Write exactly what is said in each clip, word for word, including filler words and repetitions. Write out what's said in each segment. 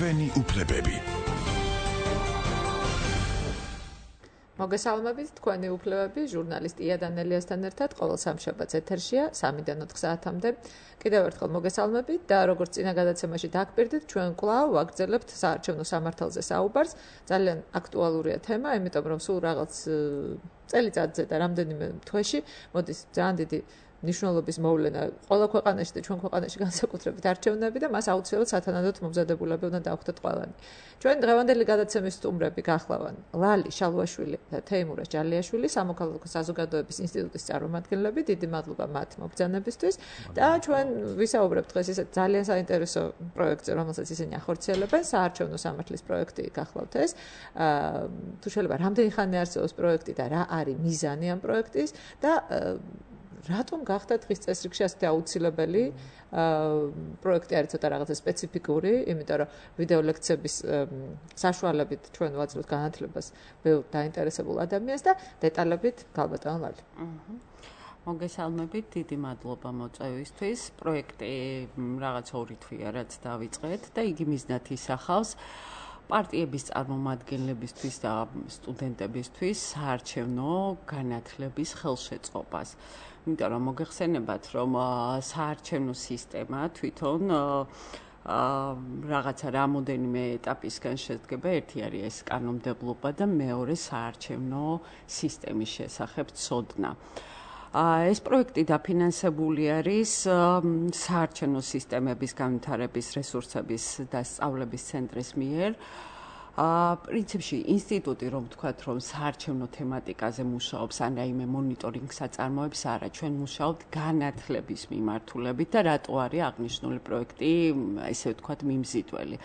ჩვენი უფლებები. მოგესალმებით, თქვენი უფლებები, ჟურნალისტ ია დანელიასთან ერთად ყოველ სამშაბათს ეთერშია სამიდან ოთხ საათამდე. კიდევ ერთხელ მოგესალმებით და როგორც წინა გადაცემაში დაგპირდით, ჩვენ კვლავ ვაგრძელებთ საარჩევნო სამართალზე საუბარს. ძალიან აქტუალურია თემა, იმიტომ რომ სულ რაღაც წელიწადზე და რამდენიმე თვეში მოდის ძალიან დიდი ნიშნულობის მოვლენა ყველა ქვეყანაში და ჩვენ ქვეყანაში განსაკუთრებით არჩევნები და მას აუცილებლად სათანადოდ მომზადებულები უნდა დავხვდეთ ყველანი. ჩვენ დღევანდელი გადაცემის სტუმრები გახლავან ლალი შალვაშვილი და თეიმურა ჯალიაშვილი, სამოქალაქო საზოგადოების ინსტიტუტის წარმომადგენლები. დიდი მადლობა მათ მობრძანებისთვის და ჩვენ ვისაუბრებთ დღეს ისეთ ძალიან საინტერესო პროექტზე, რომელსაც ისინი ახორციელებენ, საარჩევნო სამართლის პროექტი გახლავთ ეს. თუ შეიძლება რამდენი ხანი არსებობს პროექტი და რა არის მიზანი ამ პროექტის და რატომ გახდა დღის წესრიგში ასეთი აუცილებელი პროექტი არის ცოტა რაღაცა სპეციფიკური, იმიტომ რომ ვიდეო ლექციების საშუალებით ჩვენ ვაძლევთ განათლებას ბევრ დაინტერესებულ ადამიანს და დეტალებით გალბატონ ლალი. მოგესალმებით, დიდი მადლობა მოწვევისთვის. პროექტი რაღაც ორი თვეა რაც დავიწყეთ და იგი მიზნად ისახავს პარტიების წარმომადგენლებისთვის და სტუდენტებისთვის საარჩევნო განათლების ხელშეწყობას. იმიტომ რომ მოგეხსენებათ, რომ საარჩევნო სისტემა თვითონ რაღაცა რამოდენიმე ეტაპისგან შედგება. ერთი არის ეს კანონმდებლობა და მეორე საარჩევნო სისტემის შესახებ ცოდნა. ეს პროექტი დაფინანსებული არის საარჩევნო სისტემების განვითარების რესურსების და სწავლების ცენტრის მიერ. პრინციპში ინსტიტუტი რომ ვთქვათ, რომ საარჩევნო თემატიკაზე მუშაობს, ან რაიმე მონიტორინგს აწარმოებს, არა, ჩვენ მუშაობთ განათლების მიმართულებით და რატო არის აღნიშნული პროექტი, ესე ვთქვათ, მიმზიდველი.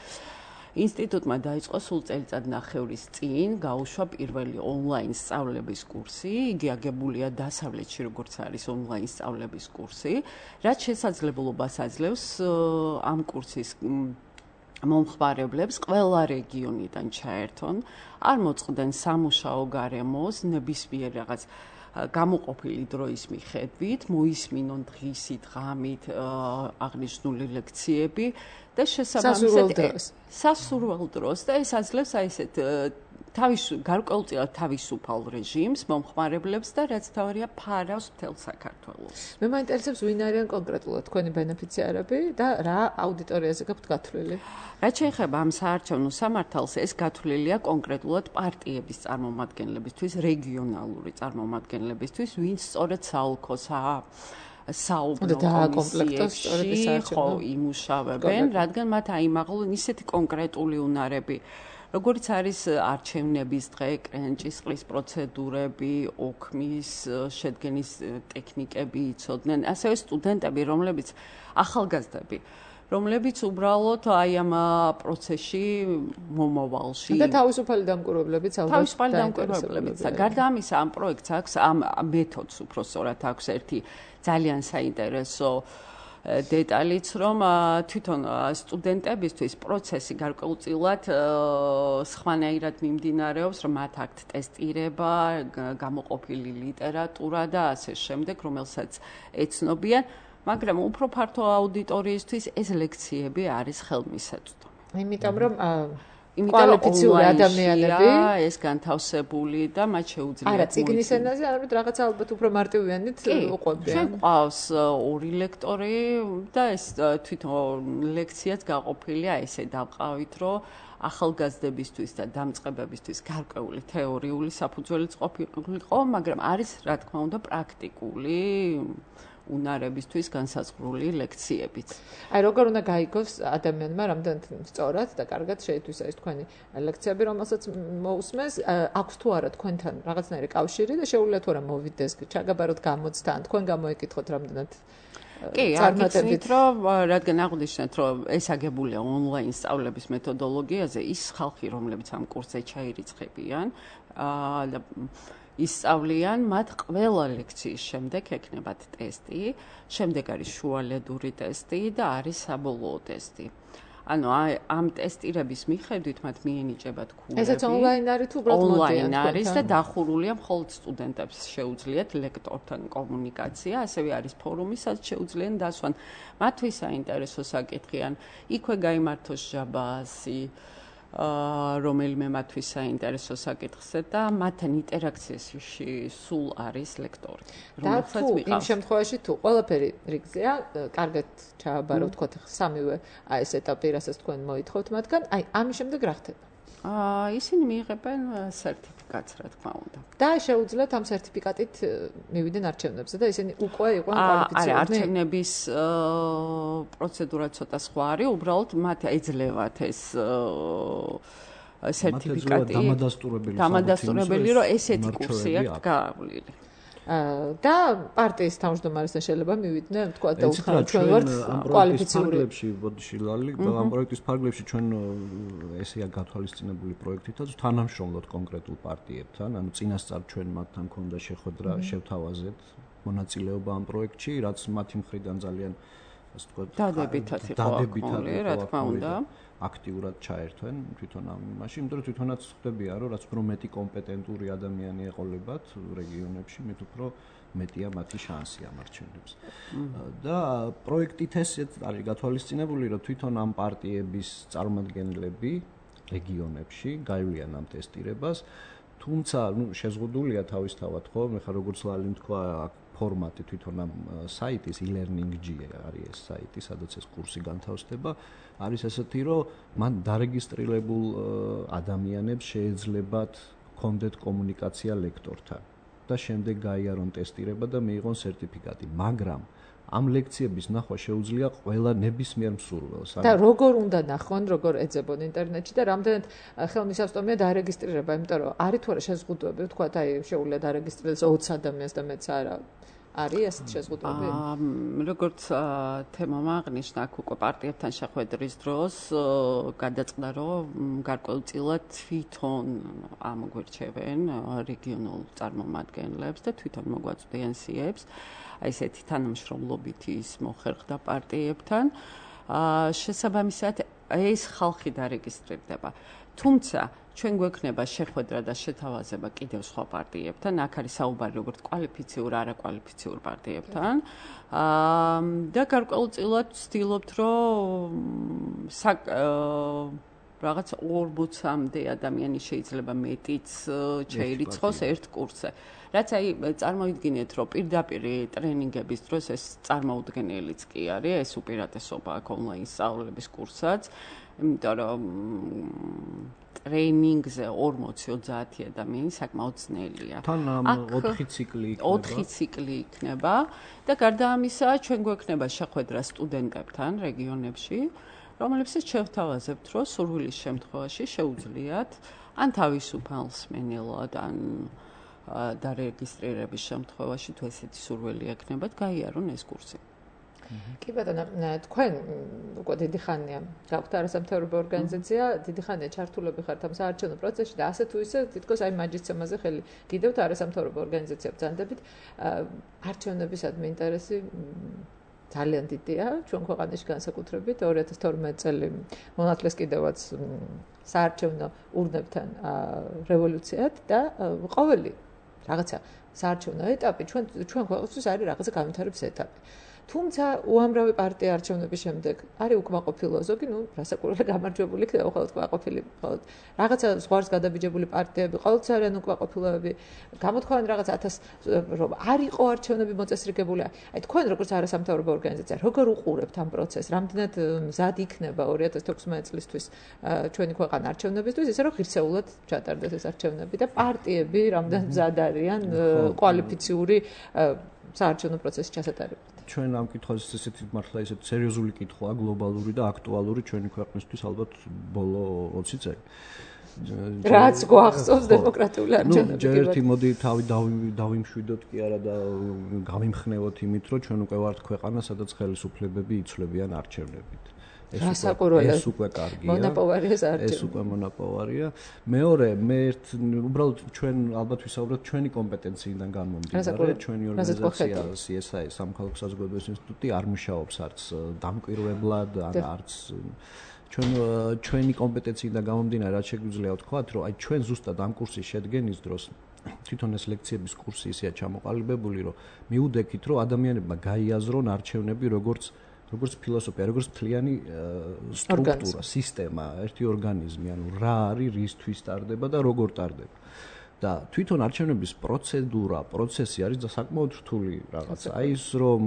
ინსტიტუტმა დაიწყო სულ წელიწადნახევრის წინ გაუშვა პირველი ონლაინ სწავლების კურსი. იგი აგებულია დასავლეთში, როგორც არის ონლაინ სწავლების კურსი, რაც შესაძლებლობას აძლევს ამ კურსის მომხმარებლებს ყველა რეგიონიდან ჩაერთონ, არ მოწყდნენ სამუშაო გარემოს, ნებისმიერ რაღაც გამოყოფილი დროის მიხედვით, მოისმინონ დღისით, ღამით აღნიშნული ლექციები და შესაბამისად სასურველ დროს და ეს აძლევს აი ესეთ თავის გარკვეულწილად თავისუფალ რეჟიმს მომხმარებლებს და რაც თავარია ფარავს მთელ საქართველოს. მე მაინტერესებს ვინ არიან კონკრეტულად თქვენი ბენეფიციარები და რა აუდიტორიაზე გაქვთ გათვლილი? რაც შეეხება ამ საარჩევნო სამართალს, ეს გათვლილია კონკრეტულად პარტიების წარმომადგენლებისთვის, რეგიონალური წარმომადგენლებისთვის, ვინც სწორედ საოლქოსაა საუბრო კომისიებში ხო იმუშავებენ, რადგან მათ აიმაღლონ ისეთი კონკრეტული უნარები, როგორც არის არჩევნების დღე, კრენჭისყრის პროცედურები, ოქმის შედგენის ტექნიკები იცოდნენ, ასევე სტუდენტები, რომლებიც ახალგაზრდები, რომლებიც უბრალოდ აი ამ პროცესში მომავალში და თავისუფალი დამკვირვებლებიც ალბათ თავისუფალი დამკვირვებლებიც და გარდა ამისა ამ პროექტს აქვს ამ მეთოდს უფრო სწორად აქვს ერთი ძალიან საინტერესო დეტალიც, რომ თვითონ სტუდენტებისთვის პროცესი გარკვეულწილად სხვანაირად მიმდინარეობს, რომ მათ აქვთ ტესტირება, გამოყოფილი ლიტერატურა და ასე შემდეგ, რომელსაც ეცნობიან, მაგრამ უფრო ფართო აუდიტორიისთვის ეს ლექციები არის ხელმისაწვდომი. იმიტომ რომ კვალიფიციური ადამიანები ეს განთავსებული და მათ შეუძლიათ არა ციგნის ენაზე, არამედ რაღაც ალბათ უფრო მარტივიანით უყვებიან. ჩვენ ყავს ორი ლექტორი და ეს თვითონ ლექციაც გაყოფილია ესე დავყავით, რომ ახალგაზრდებისთვის და დამწყებებისთვის გარკვეული თეორიული საფუძველიც ყოფილიყო, მაგრამ არის რა თქმა უნდა პრაქტიკული უნარებისთვის განსაზღვრული ლექციებიც. აი როგორ უნდა გაიგოს ადამიანმა რამდენად სწორად და კარგად შეითვისა ეს თქვენი ლექციები, რომელსაც მოусმენს, აქვს თუ არა თქვენთან რაღაცნაირი კავშირი და შეუძლია თუ არა მოვიდეს, ჩაგაბაროთ გამოცდან, თქვენ გამოიკითხოთ რამდენად კი, აგიცნით, რომ რადგან აღვნიშნეთ, რომ ეს აგებულია ონლაინ სწავლების მეთოდოლოგიაზე, ის ხალხი, რომლებიც ამ კურსზე ჩაირიცხებიან და ისწავლიან, მათ ყველა ლექციის შემდეგ ექნებათ ტესტი, შემდეგ არის შუალედური ტესტი და არის საბოლოო ტესტი. ანუ ამ ტესტირების მიხედვით მათ მიენიჭებათ ქულები. ესაც ონლაინ არის თუ უბრალოდ მოდიან? ონლაინ არის და დახურულია მხოლოდ სტუდენტებს შეუძლიათ ლექტორთან კომუნიკაცია, ასევე არის ფორუმი, სადაც შეუძლიან დასვან. მათთვის საინტერესო საკითხი ან იქვე გაიმართოს ჟაბაასი, რომელიმე მათთვის საინტერესო საკითხზე და მათთან ინტერაქციაში სულ არის ლექტორი. და თუ იმ შემთხვევაში თუ ყველაფერი რიგზეა, კარგად ჩააბარო ვთქვათ სამივე აი ეს ეტაპი, რასაც თქვენ მოითხოვთ მათგან, აი ამის შემდეგ რა ხდება? აა ისინი მიიღებენ სერტიფიკატს, რა თქმა უნდა. და შეუძლიათ ამ სერტიფიკატით მივიდნენ არჩევნებზე და ისინი უკვე იყვნენ კვალიფიცირებული. არა, არჩევნების პროცედურა ცოტა სხვა არის, უბრალოდ მათ ეძლევათ ეს სერტიფიკატი. დამადასტურებელი დამადასტურებელი, რომ ესეთი კურსი აქვს გაავლილი. და პარტიის თავმჯდომარესთან შეიძლება მივიდნენ, თქვა და უთხრათ ჩვენ ვართ კვალიფიციური. ბოდიში ლალი, ამ პროექტის ფარგლებში ჩვენ ესეა გათვალისწინებული პროექტითაც თანამშრომლობთ კონკრეტულ პარტიებთან, ანუ წინასწარ ჩვენ მათთან ქონდა შეხვედრა, შევთავაზეთ მონაწილეობა ამ პროექტში, რაც მათი მხრიდან ძალიან ასე ვთქვათ, დადებითად იყო აქ, რა თქმა უნდა. აქტიურად ჩაერთვენ თვითონ ამ იმაში, იმიტომ რომ თვითონაც ხდებია, რომ რაც უფრო მეტი კომპეტენტური ადამიანი ეყოლებათ რეგიონებში, მით უფრო მეტია მათი შანსი ამ არჩევნებს. და პროექტით ესეც არის გათვალისწინებული, რომ თვითონ ამ პარტიების წარმომადგენლები რეგიონებში გაივლიან ამ ტესტირებას, თუმცა, ну, შეზღუდულია თავისთავად, ხო, მე ხარ როგორც ლალიმ თქვა, ფორმატი თვითონ ამ საიტის e-learning.g არის ეს საიტი, სადაც ეს კურსი განთავსდება, არის ესეთი, რომ მან დარეგისტრირებულ ადამიანებს შეეძლებათ კონდეთ კომუნიკაცია ლექტორთან და შემდეგ გაიარონ ტესტირება და მიიღონ სერტიფიკატი, მაგრამ ამ ლექციების ნახვა შეუძლია ყველა ნებისმიერ მსურველს. და როგორ უნდა ნახონ, როგორ ეძებონ ინტერნეტში და რამდენად ხელმისაწვდომია დარეგისტრირება, იმიტომ რომ არის თუ არა შეზღუდვები, ვთქვათ, აი შეუძლია დარეგისტრირდეს ოცი ადამიანს და მეც არა. არის ასეთ შეზღუდვები? როგორც თემამ აღნიშნა, აქ უკვე პარტიებთან შეხვედრის დროს გადაწყდა, რომ გარკვეულწილად თვითონ ამგვირჩევენ რეგიონულ წარმომადგენლებს და თვითონ მოგვაწვდიან სიებს. აი ესეთი თანამშრომლობით ის მოხერხდა პარტიებთან. შესაბამისად ეს ხალხი დარეგისტრირდება. თუმცა ჩვენ გვექნება შეხვედრა და შეთავაზება კიდევ სხვა პარტიებთან, აქ არის საუბარი როგორც კვალიფიციურ, არაკვალიფიციურ პარტიებთან. და გარკვეულწილად ვცდილობთ, რომ რაღაც ორმოცამდე ადამიანი შეიძლება მეტიც შეირიცხოს ერთ კურსზე. რაც აი წარმოიდგინეთ, რომ პირდაპირ ტრენინგების დროს ეს წარმოუდგენელიც კი არის, ეს უპირატესობა აქ ონლაინ სწავლების კურსაც, იმიტომ რომ ტრენინგზე ორმოცი ოცდაათი ადამიანი საკმაოდ ძნელია. თან ოთხი ციკლი იქნება. ოთხი ციკლი იქნება და გარდა ამისა, ჩვენ გვექნება შეხვედრა სტუდენტებთან რეგიონებში, რომლებსაც შევთავაზებთ, რომ სურვილის შემთხვევაში შეუძლიათ ან თავისუფალ მსმენელად, ან დარეგისტრირების შემთხვევაში თუ ესეთი სურვილი ექნებათ, გაიარონ ეს კურსი. კი ბატონო, თქვენ უკვე დიდი ხანია გაქვთ არასამთავრობო ორგანიზაცია, დიდი ხანია ჩართულები ხართ ამ საარჩევნო პროცესში და ასე თუ ისე თითქოს აი მაჯისცემაზე ხელი გიდევთ არასამთავრობო ორგანიზაციებს ბრძანდებით. არჩევნებისადმი ინტერესი ძალიან დიდია ჩვენ ქვეყანაში განსაკუთრებით ორი ათას თორმეტი წელი მონათლეს კიდევაც საარჩევნო ურნებთან რევოლუციად და ყოველი რაღაცა საარჩევნო ეტაპი ჩვენ ჩვენ ქვეყნისთვის არის რაღაცა განვითარების ეტაპი. თუმცა უამრავი პარტია არჩევნების შემდეგ არის უკმაყოფილო ზოგი, ну, რასაკვირველია გამარჯვებული იქნება ხოლმე უკმაყოფილი, ხოლმე რაღაცა ზღვარს გადაბიჯებული პარტიები, ყოველთვის არიან უკმაყოფილოები, გამოთქვამენ რაღაც ათას რომ არ იყო არჩევნები მოწესრიგებული. აი თქვენ როგორც არასამთავრობო ორგანიზაცია, როგორ უყურებთ ამ პროცესს? რამდენად მზად იქნება ორი ათას თექვსმეტი წლისთვის ჩვენი ქვეყანა არჩევნებისთვის, ისე რომ ღირსეულად ჩატარდეს ეს არჩევნები და პარტიები რამდენად მზად არიან კვალიფიციური საარჩევნო პროცესის ჩასატარებლად. ჩვენ ამ კითხვაზე ესეთი მართლა ესეთი სერიოზული კითხვაა, გლობალური და აქტუალური ჩვენი ქვეყნისთვის ალბათ ბოლო ოცი წელი. რაც გვახსოვს დემოკრატიული არჩევნები. ჯერ ერთი მოდი თავი დავიმშვიდოთ კი არა და გამიმხნევოთ იმით, რომ ჩვენ უკვე ვართ ქვეყანა, სადაც ხელისუფლებები იცვლებიან არჩევნებით. ეს უკვე კარგია. მონაპოვარია საარჩევნო. ეს უკვე მონაპოვარია. მეორე, მე ერთ უბრალოდ ჩვენ ალბათ ვისაუბროთ ჩვენი კომპეტენციიდან განმომდინარე, ჩვენი ორგანიზაცია სი ეს აი სამხალხო საზოგადოების ინსტიტუტი არ მუშაობს არც დამკვირვებლად, არც ჩვენ ჩვენი კომპეტენციიდან გამომდინარე რაც შეგვიძლია ვთქვათ, რომ აი ჩვენ ზუსტად ამ კურსის შედგენის დროს თვითონ ეს ლექციების კურსი ისეა ჩამოყალიბებული, რომ მიუდექით, რომ ადამიანებმა გაიაზრონ არჩევნები როგორც როგორც ფილოსოფია, როგორც მთლიანი სტრუქტურა, სისტემა, ერთი ორგანიზმი, ანუ რა არის, რისთვის ტარდება და როგორ ტარდება. და თვითონ არჩევნების პროცედურა, პროცესი არის საკმაოდ რთული რაღაცა. აი ის რომ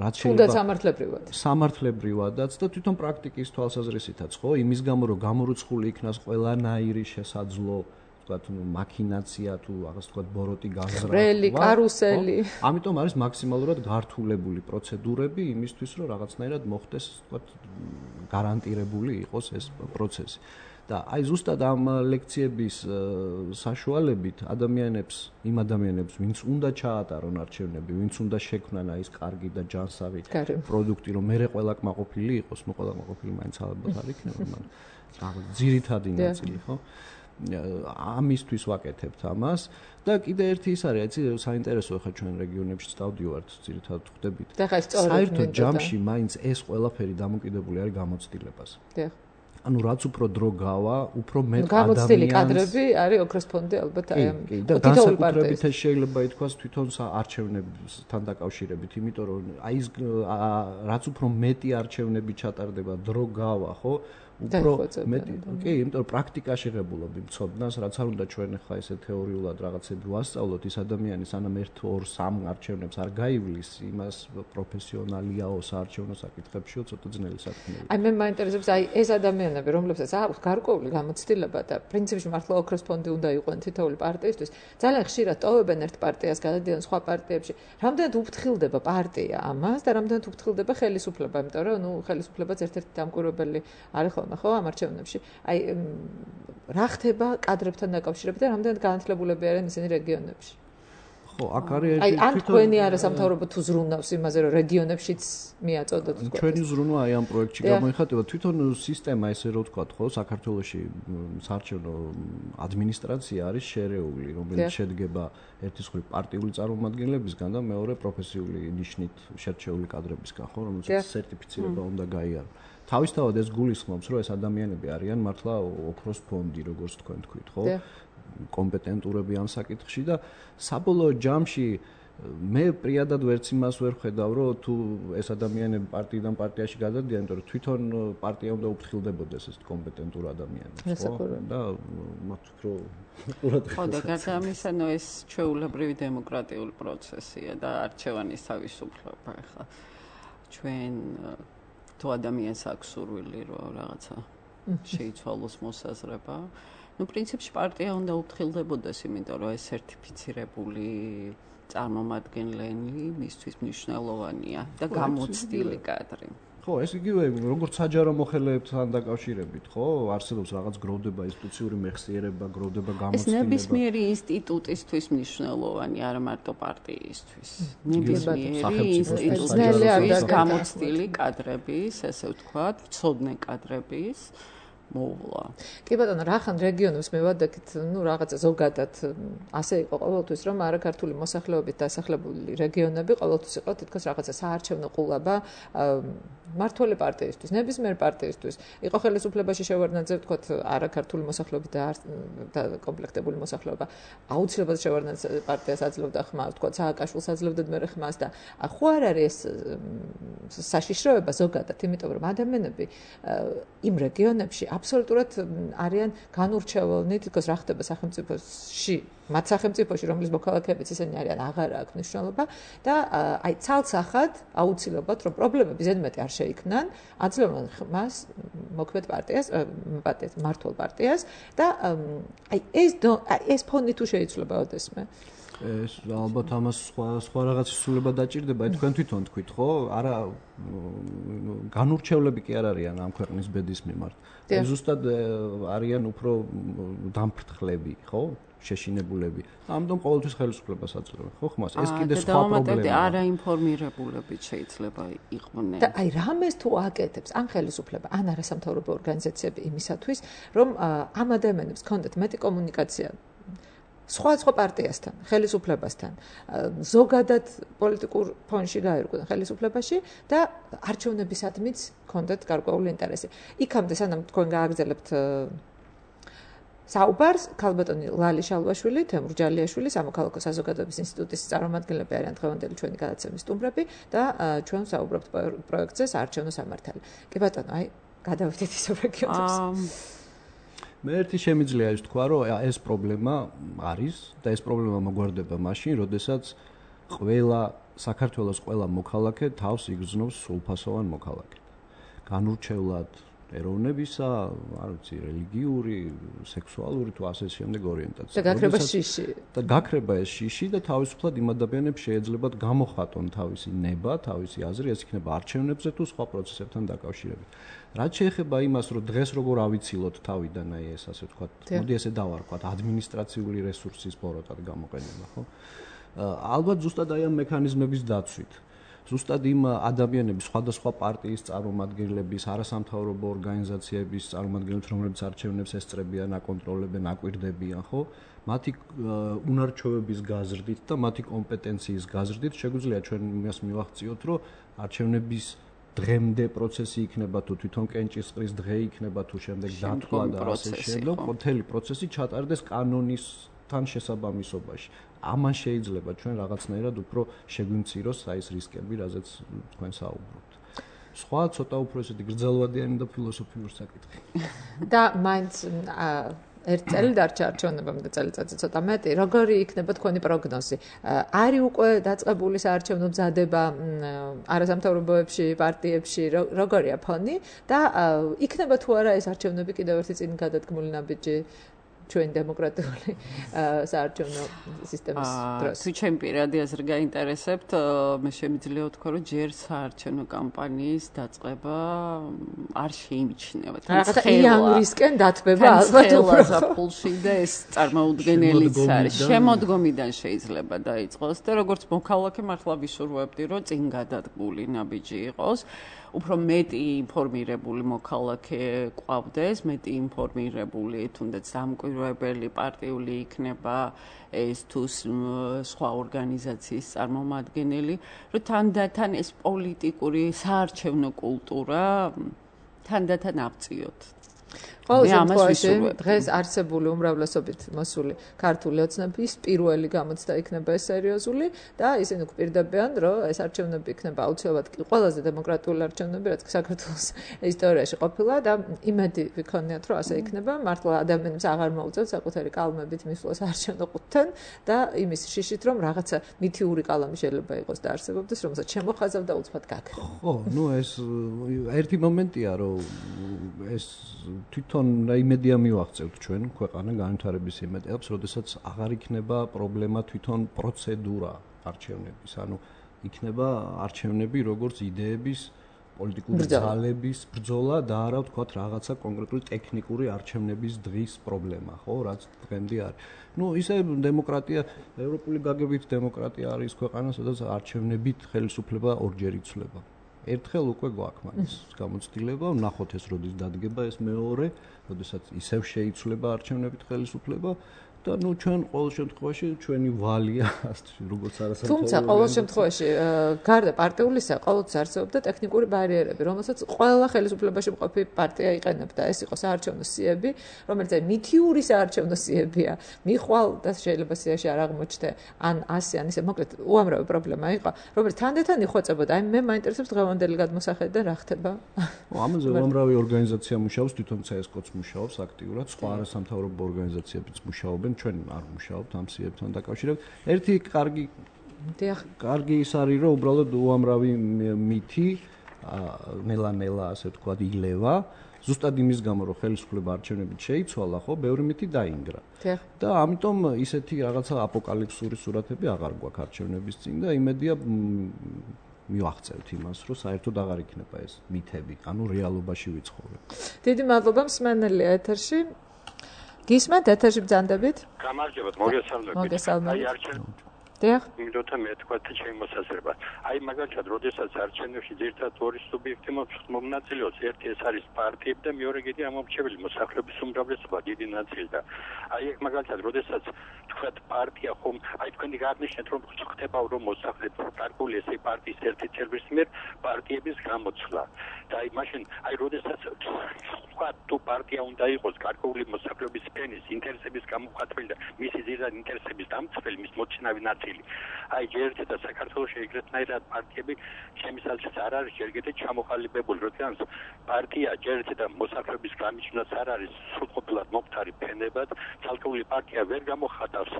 რაც შეიძლება სამართლებრივად. სამართლებრივადაც და თვითონ პრაქტიკის თვალსაზრისითაც, ხო, იმის გამო რომ გამორუცხული იქნას ყველანაირი შესაძლო ვთქვათ, ნუ მაქინაცია თუ რაღაც ვთქვათ ბოროტი გაზრა. რელი, კარუსელი. ამიტომ არის მაქსიმალურად გართულებული პროცედურები იმისთვის, რომ რაღაცნაირად მოხდეს, ვთქვათ, გარანტირებული იყოს ეს პროცესი. და აი ზუსტად ამ ლექციების საშუალებით ადამიანებს, იმ ადამიანებს, ვინც უნდა ჩაატარონ არჩევნები, ვინც უნდა შექმნან აი ეს კარგი და ჯანსაღი პროდუქტი, რომ მერე ყველა კმაყოფილი იყოს, ნუ ყველა კმაყოფილი მაინც ალბათ არ იქნება, მაგრამ რაღაც ძირითადი ნაწილი, ხო? ამისთვის ვაკეთებთ ამას და კიდე ერთი ის არის, იცი, საინტერესო ხა ჩვენ რეგიონებში წავდივართ, ძირითადად ხვდებით. საერთოდ ჯამში მაინც ეს ყველაფერი დამოკიდებული არის გამოცდილებას. დიახ. ანუ რაც უფრო დრო გავა, უფრო მეტ ადამიანს გამოცდილი კადრები არის ოქროს ფონდი ალბათ აი ამ და განსაკუთრებით ეს შეიძლება ითქვას თვითონ არჩევნებთან დაკავშირებით, იმიტომ რომ აი ეს რაც უფრო მეტი არჩევნები ჩატარდება, დრო გავა, ხო? უფრო მეტი, კი, იმიტომ რომ პრაქტიკაში ღებულობ იმ ცოდნას, რაც არ უნდა ჩვენ ხა ესე თეორიულად რაღაცები ვასწავლოთ, ის ადამიანი სანამ ერთ ორ სამ არჩევნებს არ გაივლის, იმას პროფესიონალიაო საარჩევნო საკითხებშიო ცოტა ძნელი საქმეა. აი მე მაინტერესებს აი ეს ადამიანები, რომლებსაც აქვს გარკვეული გამოცდილება და პრინციპში მართლა ოქროს ფონდი უნდა იყვნენ თითოეული პარტიისთვის, ძალიან ხშირად ტოვებენ ერთ პარტიას, გადადიან სხვა პარტიებში. Რამდენად უფრთხილდება პარტია ამას და რამდენად უფრთხილდება ხელისუფლება, იმიტომ რომ ნუ ხელისუფლებაც ერთ-ერთი დამკვირვებელი არის ხო ამ არჩევნებში. აი რა ხდება კადრებთან დაკავშირებით და რამდენად განათლებულები არიან ისინი რეგიონებში? ხო, აქ არის აი ან თქვენი არასამთავრობო თუ ზრუნავს იმაზე, რომ რეგიონებშიც მიაწოდოთ თქვენ. ჩვენი ზრუნვა აი ამ პროექტში გამოიხატება. თვითონ სისტემა ესე რო ვთქვათ, ხო, საქართველოში საარჩევნო ადმინისტრაცია არის შერეული, რომელიც შედგება ერთის მხრივ პარტიული წარმომადგენლებისგან და მეორე პროფესიული ნიშნით შერჩეული კადრებისგან, ხო, რომელსაც სერტიფიცირება უნდა გაიარონ. თავისთავად ეს გულისხმობს, რომ ეს ადამიანები არიან მართლა ოქროს ფონდი, როგორც თქვენ თქვით, ხო? კომპეტენტურები ამ საკითხში და საბოლოო ჯამში მე პრიადად ვერც იმას ვერ ხედავ, რომ თუ ეს ადამიანები პარტიიდან პარტიაში გადადიან, იმიტომ რომ თვითონ პარტია უნდა უფრთხილდებოდეს ეს კომპეტენტურ ადამიანებს, ხო? და მათ უფრო ყურადღება. ხო, და გარდა ამისა, ნუ ეს ჩვეულებრივი დემოკრატიული პროცესია და არჩევანის თავისუფლება ახლა ჩვენ თუ ადამიანს აქვს სურვილი რომ რაღაცა შეიცვალოს მოსაზრება, ну, პრინციპში პარტია უნდა უფრთხილდებოდეს, იმიტომ რომ ეს სერტიფიცირებული წარმომადგენლები მისთვის მნიშვნელოვანია და გამოცდილი კადრი. ხო, ეს იგივე როგორც საჯარო მოხელეებთან დაკავშირებით, ხო? არსებობს რაღაც გროვდება ინსტიტუციური მეხსიერება, გროვდება გამოცდილება. ეს ნებისმიერი ინსტიტუტისთვის მნიშვნელოვანი, არა მარტო პარტიისთვის. ნებისმიერი ინსტიტუტისთვის გამოცდილი კადრების, ესე ვთქვათ, მცოდნე კადრების მოვლა. კი ბატონო, რახან რეგიონებს მევადაკით, ну, რაღაცა ზოგადად ასე იყო ყოველთვის, რომ არაქართული მოსახლეობით დასახლებული რეგიონები ყოველთვის იყო თითქოს რაღაცა საარჩევნო ყულაბა მართველი პარტიისთვის, ნებისმიერ პარტიისთვის. იყო ხელისუფლებაში შევარდნაძე, ვთქვათ, არაქართული მოსახლეობით და კომპლექტებული მოსახლეობა. აუცილებლად შევარდნაძე პარტიას აძლევდა ხმას, ვთქვათ, სააკაშვილს აძლევდა მერე ხმას და ხო არ არის ეს საშიშროება ზოგადად, იმიტომ რომ ადამიანები იმ რეგიონებში აბსოლუტურად არიან განურჩევლნი, თითქოს რა ხდება სახელმწიფოში, მათ სახელმწიფოში, რომლის მოქალაქეებიც ისინი არიან, აღარ აქვს მნიშვნელობა და აი ცალსახად აუცილებლად რომ პრობლემები ზედმეტი არ შეიქმნან, აძლევენ ხმას მოქმედ პარტიას, პარტიას, მართულ პარტიას და აი ეს ეს ფონი თუ შეიძლება ოდესმე ეს ალბათ ამას სხვა სხვა რაღაც სულება დაჭირდება, თქვენ თვითონ თქვით, ხო? არა განურჩევლები კი არ არიან ამ ქვეყნის ბედის მიმართ. ეს ზუსტად არიან უფრო დამფრთხლები, ხო? შეშინებულები. ამიტომ ყოველთვის ხელისუფლებას აძლევენ, ხო ხმას? ეს კიდე სხვა პრობლემაა. არაინფორმირებულებით შეიძლება იყვნენ. და აი რამეს თუ აკეთებს ან ხელისუფლება, ან არასამთავრობო ორგანიზაციები იმისათვის, რომ ამ ადამიანებს კონდეთ მეტი კომუნიკაცია სხვა სხვა პარტიასთან, ხელისუფლებასთან, ზოგადად პოლიტიკურ ფონში გაერკვნენ ხელისუფლებაში და არჩევნებისადმიც ჰქონდათ გარკვეული ინტერესი. იქამდე სანამ თქვენ გააგრძელებთ საუბარს, ქალბატონი ლალი შალვაშვილი, თემურ ჯალიაშვილი, სამოქალაქო საზოგადოების ინსტიტუტის წარმომადგენლები არიან დღევანდელი ჩვენი გადაცემის სტუმრები და ჩვენ ვსაუბრობთ პროექტზე საარჩევნო სამართალი. კი ბატონო, აი, გადავიდეთ ისევ რეგიონებს. მე ერთი შემიძლია ის თქვა, რომ ეს პრობლემა არის და ეს პრობლემა მოგვარდება მაშინ, როდესაც ყველა საქართველოს ყველა მოქალაქე თავს იგრძნობს სრულფასოვან მოქალაქედ. განურჩევლად ეროვნებისა, არ ვიცი, რელიგიური, სექსუალური თუ ასე შემდეგ ორიენტაცია. და გაქრება შიში. და გაქრება ეს შიში და თავისუფლად იმ ადამიანებს შეეძლებათ გამოხატონ თავისი ნება, თავისი აზრი, ეს იქნება არჩევნებზე თუ სხვა პროცესებთან დაკავშირებით. რაც შეეხება იმას, რომ დღეს როგორ ავიცილოთ თავიდან, აი ეს ასე ვთქვათ, მოდი ესე დავარქვათ, ადმინისტრაციული რესურსის ბოროტად გამოყენება, ხო? ალბათ ზუსტად აი ამ მექანიზმების დაცვით. ზუსტად იმ ადამიანების, სხვადასხვა პარტიის წარმომადგენლების, არასამთავრობო ორგანიზაციების წარმომადგენლებს, რომლებიც არჩევნებს ესწრებიან, აკონტროლებენ, აკვირდებიან, ხო? მათი უნარჩვევების გაზრდით და მათი კომპეტენციის გაზრდით შეგვიძლია ჩვენ იმას მივახციოთ, რომ არჩევნების დღემდე პროცესი იქნება თუ თვითონ კენჭისყრის დღე იქნება თუ შემდეგ დათვლა და ასე შემდეგ, მთელი პროცესი ჩატარდეს კანონისთან შესაბამისობაში. ამან შეიძლება ჩვენ რაღაცნაირად უფრო შეგვიმციროს აი ეს რისკები, რაზეც თქვენ საუბრობთ. სხვა ცოტა უფრო ესეთი გრძელვადიანი და ფილოსოფიური საკითხი. და მაინც ერთ წელი დარჩა არჩევნებამდე და წელიწადზე ცოტა მეტი. როგორი იქნება თქვენი პროგნოზი? არის უკვე დაწყებული საარჩევნო მზადება არასამთავრობოებში, პარტიებში, როგორია ფონი და იქნება თუ არა ეს არჩევნები კიდევ ერთი წინ გადადგმული ნაბიჯი ჩვენ დემოკრატიული საარჩევნო სისტემის დროს. თუ ჩემ პირადი აზრი გაინტერესებთ, მე შემიძლია ვთქვა, რომ ჯერ საარჩევნო კამპანიის დაწყება არ შეიმჩნევა. რაღაცა იანვრისკენ დათბება ალბათ უფრო ზაფხულში და ეს წარმოუდგენელიც არის. შემოდგომიდან შეიძლება დაიწყოს და როგორც მოქალაქე მართლა ვისურვებდი, რომ წინ გადადგმული ნაბიჯი იყოს. უფრო მეტი ინფორმირებული მოქალაქე ყვავდეს, მეტი ინფორმირებული თუნდაც დამკვირვებელი პარტიული იქნება ეს თუ სხვა ორგანიზაციის წარმომადგენელი, რომ თანდათან ეს პოლიტიკური საარჩევნო კულტურა თანდათან ავწიოთ. ყოველ შემთხვევაში დღეს არსებული უმრავლესობით მოსული ქართული ოცნების პირველი გამოცდა იქნება ეს სერიოზული და ისინი გვპირდებიან, რომ ეს არჩევნები იქნება აუცილებლად ყველაზე დემოკრატიული არჩევნები, რაც საქართველოს ისტორიაში ყოფილა და იმედი ვიქონიათ, რომ ასე იქნება. მართლა ადამიანებს აღარ მოუწევთ საკუთარი კალმებით მისვლას არჩევნო ყუთთან და იმის შიშით, რომ რაღაცა მითიური კალამი შეიძლება იყოს და არსებობდეს, რომელსაც შემოხაზავ და უცბად გაქრა. ხო, ნუ ეს ერთი მომენტია, რომ ეს თვითონ იმედია მივახცევთ ჩვენ ქვეყანა განვითარების იმედებს, როდესაც აღარ იქნება პრობლემა თვითონ პროცედურა არჩევნების, ანუ იქნება არჩევნები როგორც იდეების, პოლიტიკური ძალების ბრძოლა და არა ვთქვათ რაღაცა კონკრეტული ტექნიკური არჩევნების დღის პრობლემა, ხო, რაც დღემდე არის. ნუ ისე დემოკრატია, ევროპული გაგებით დემოკრატია არის ქვეყანა, სადაც არჩევნებით ხელისუფლება ორჯერ იცვლება. ერთხელ უკვე გვაქვს მაგის გამოცდილება, ვნახოთ ეს როდის დადგება ეს მეორე, როდესაც ისევ შეიცვლება არჩევნებით ხელისუფლება და ნუ ჩვენ ყოველ შემთხვევაში ჩვენი ვალია როგორც არასამთავრობო. თუმცა ყოველ შემთხვევაში გარდა პარტიულისა ყოველთვის არსებობდა ტექნიკური ბარიერები, რომელსაც ყველა ხელისუფლებაში მყოფი პარტია იყენებდა. ეს იყო საარჩევნო სიები, რომელიც მითიური საარჩევნო სიებია. მიხვალ და შეიძლება სიაში არ აღმოჩნდე ან ასე ან ისე, მოკლედ უამრავი პრობლემა იყო, რომელიც თანდათან იხვეწებოდა. აი მე მაინტერესებს დღევანდელი გადმოსახედა რა ხდება. ამაზე უამრავი ორგანიზაცია მუშაობს, თვითონ ცსკოც მუშაობს აქტიურად, სხვა არასამთავრობო ორგანიზაციებიც მუშაობენ. ჩვენ არ მუშაობთ ამ სიებთან დაკავშირებით. ერთი კარგი კარგი ის არის, რომ უბრალოდ უამრავი მითი ნელა-ნელა ასე ვთქვათ ილევა, ზუსტად იმის გამო, რომ ხელისუფლება არჩევნებით შეიცვალა, ხო, ბევრი მითი დაინგრა. და ამიტომ ისეთი რაღაცა აპოკალიფსური სურათები აღარ გვაქვს არჩევნების წინ და იმედია მივახცევთ იმას, რომ საერთოდ აღარ იქნება ეს მითები, ანუ რეალობაში ვიცხოვრებ. დიდი მადლობა მსმენელია ეთერში. გისმენთ ეთერში ბრძანდებით? გამარჯობათ, მოგესალმებით. მოგესალმებით. აი არჩევნები დიახ. იმიტომ მე თქვა შემოსაზრება. აი მაგალითად, როდესაც არჩევნებში ძირითადად ორი სუბიექტი მომნაწილეობს, ერთი ეს არის პარტიები და მეორე კიდე ამომრჩეველი მოსახლეობის უმრავლესობა, დიდი ნაწილი და აი ეგ მაგალითად, როდესაც თქვა პარტია ხომ, აი თქვენი გააღნიშნეთ რომ ხდება რომ მოსახლეობა გარკვეული ესე პარტიის ერთი წევრის მიერ პარტიების გამოცვლა. და აი მაშინ აი როდესაც თქვა თუ პარტია უნდა იყოს გარკვეული მოსახლეობის ფენის ინტერესების გამოხატველი და მისი ძირითად ინტერესების დამცველი, მის მოწინავე ნაწილი. აი ჯერჯერობით და საქართველოში ეგრეთნაირად პარტიები ჩემს აზრით არ არის ჯერ კიდევ ჩამოყალიბებული, რადგან პარტია ჯერჯერობით და მოსახლეობის გამიჩნევაც არ არის სრულყოფილად მომხდარი ფენებად, ცალკეული პარტია ვერ გამოხატავს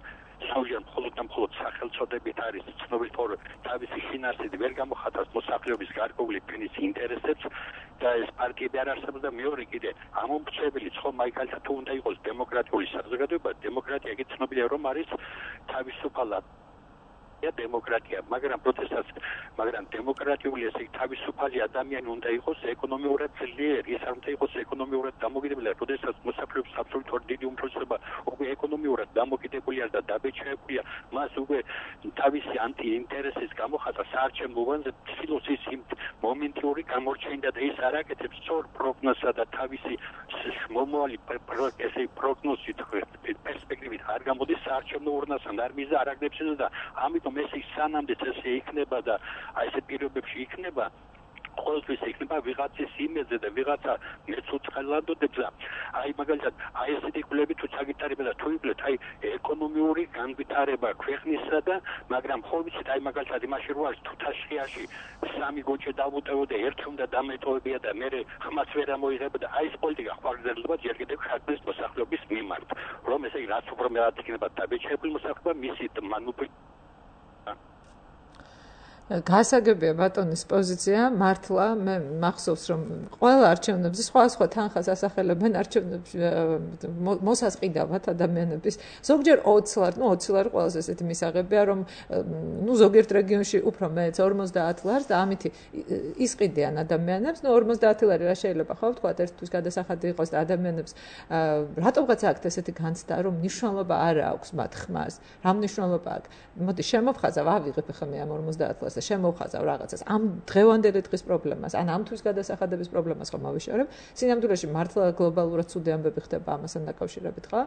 სავჟან მხოლოდ და მხოლოდ სახელწოდებით არის ცნობილი თორ თავისი შინაარსით ვერ გამოხატავს მოსახლეობის გარკვეული ფენის ინტერესებს და ეს პარტიები არ არსებობს და მეორე კიდე ამომრჩეველი ხომ მაგალითად თუ უნდა იყოს დემოკრატიული საზოგადოება, დემოკრატია კი ცნობილია რომ არის თავისუფალად დემოკრატია, მაგრამ პროცესას, მაგრამ დემოკრატიული ესე თავისუფალი ადამიანი უნდა იყოს ეკონომიურად ძლიერი, ის არ უნდა იყოს ეკონომიურად დამოკიდებული, როდესაც მოსახლეობის აბსოლუტურად დიდი უმრავლესობა უკვე ეკონომიურად დამოკიდებულია და დაბეჭდებულია, მას უკვე თავისი ანტიინტერესის გამოხატვა საარჩევნო უბანზე ცდილობს ის მომენტური გამორჩენდა და ის არ აკეთებს სწორ პროგნოზსა და თავისი მომავალი ესე პროგნოზით პერსპექტივით არ გამოდის საარჩევნო ურნასთან, არ მიზა არ აგდებს და ამიტომ ეს სანამდე ესე იქნება და აი ეს პირობებში იქნება ყოველთვის იქნება ვიღაცის იმედზე და ვიღაცა მეცოცხლადოდებს და აი მაგალითად აი ესეთი კვლევები თუ ჩაგიტარება და თუ იგლეთ აი ეკონომიური განვითარება ქვეყნისა და მაგრამ ხო ვიცით აი მაგალითად იმაში რო არის თუ თაშხიაში სამი გოჭე დავუტევო და ერთი უნდა დამეტოვებია და მე ხმას ვერ ამოიღება და აი ეს პოლიტიკა ხვალგერდება ჯერ კიდევ ხალხის მოსახლეობის მიმართ რომ ესე რაც უფრო მეტად იქნება დაბეჭდებული მოსახლეობა მისი მანუპი გასაგებია ბატონის პოზიცია, მართლა მე მახსოვს რომ ყველა არჩევნებზე სხვა სხვა თანხას ასახელებენ არჩევნებში მოსასყიდავად ადამიანების ზოგჯერ ოცი ლარი, ну ოცი ლარი ყველაზე ესეთი მისაღებია რომ ну ზოგიერთ რეგიონში უფრო მეც ორმოცდაათ ლარს და ამით ისყიდიან ადამიანებს, ну ორმოცდაათი ლარი რა შეიძლება ხო ვთქვა ერთთვის გადასახადი იყოს და ადამიანებს რატომღაც აქვს ესეთი განცდა რომ მნიშვნელობა არ აქვს მათ ხმას, რა მნიშვნელობა აქვს? მოდი შემოფხაზავ ავიღებ ხა მე ამ ორმოცდაათ ლარს და შემოვხაზავ რაღაცას ამ დღევანდელი დღის პრობლემას ან ამ თვის გადასახადების პრობლემას ხომ ავიშორებ სინამდვილეში მართლა გლობალურად ცუდი ამბები ხდება ამასთან დაკავშირებით ხო